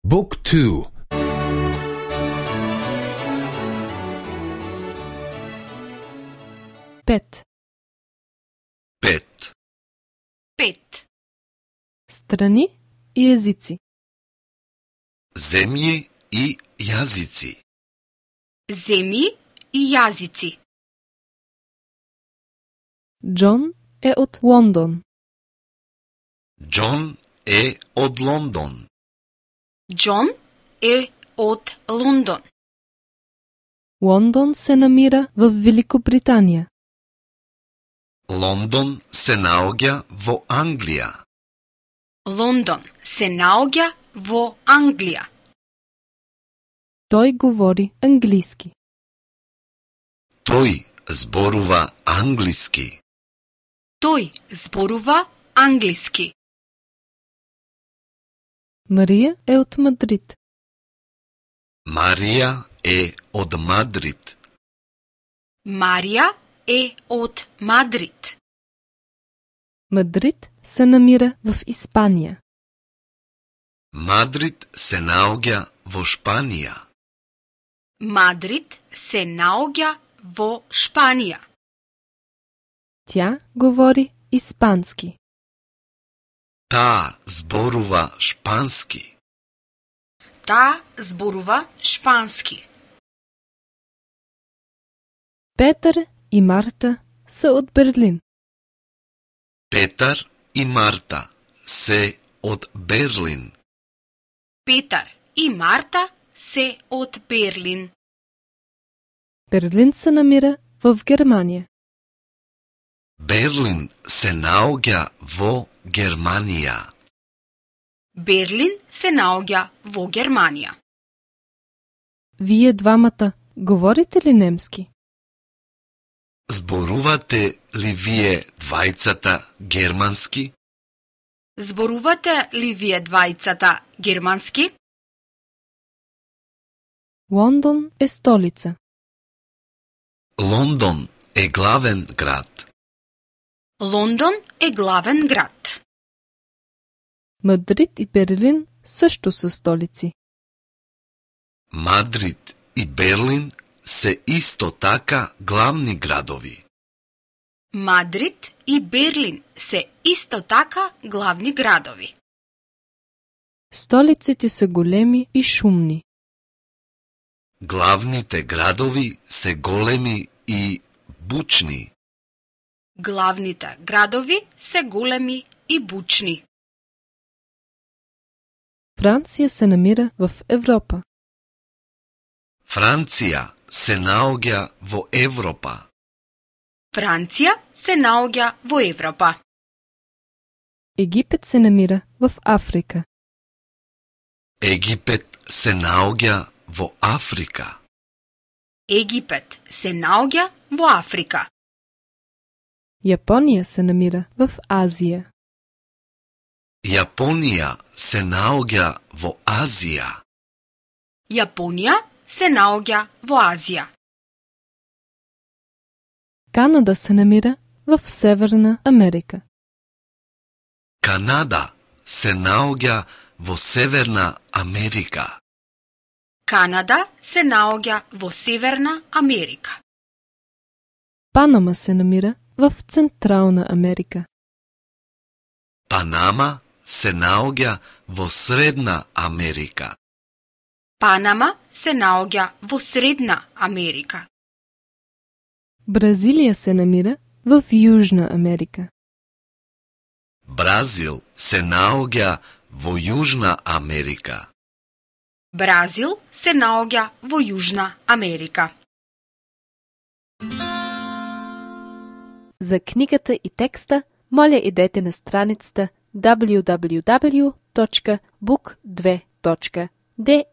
Book 2. Пет. Пет. Пет. Страни и езици. Земји и јазици. Земји и јазици. Џон е од Лондон. Џон е од Лондон. Џон е од Лондон. Лондон се намира во Великобританија. Лондон се наоѓа во Англија. Лондон се наоѓа во Англија. Тој говори англиски. Тој зборува англиски. Тој зборува англиски. Марија е од Мадрид. Марија е од Мадрид. Марија е од Мадрид. Мадрид се намира во Испанија. Мадрид се наоѓа во Шпанија. Мадрид се наоѓа во Шпанија. Тја говори испански. Таа зборува шпански. Таа зборува шпански. Петар и Марта се од Берлин. Петар и Марта се од Берлин. Петар и Марта се од Берлин. Берлин се намира во Германија. Берлин се наоѓа во Германија. Берлин се наоѓа во Германија. Вие двамата говорите ли немски? Зборувате ли вие двајцата германски? Зборувате ли вие двајцата германски? Лондон е столица. Лондон е главен град. Лондон е главен град. Мадрид и Берлин също са столици. Мадрид и Берлин се исто така главни градови. Мадрид и Берлин се исто така главни градови. Столиците са големи и шумни. Главните градови се големи и бучни. Главните градови се големи и бучни. Франција се намира в Европа. Франција се наоѓа во Европа. Франција се наоѓа во Европа. Египет се намира в Африка. Египет се наоѓа во Африка. Египет се наоѓа во Африка. Јапонија се намира в Азија. Јапонија се наоѓа во Азија. Јапонија се наоѓа во Азија. Канада се намира в Северна Америка. Канада се наоѓа во Северна Америка. Канада се наоѓа во Северна Америка. Панама се намира в Централна Америка. Панама се наоѓа во Средна Америка. Панама се наоѓа во Средна Америка. Бразилија се намира в Јужна Америка. Бразил се наоѓа во Јужна Америка. Бразил се наоѓа во Јужна Америка. За книгата и текста, моля идете на страницата www.book2.de.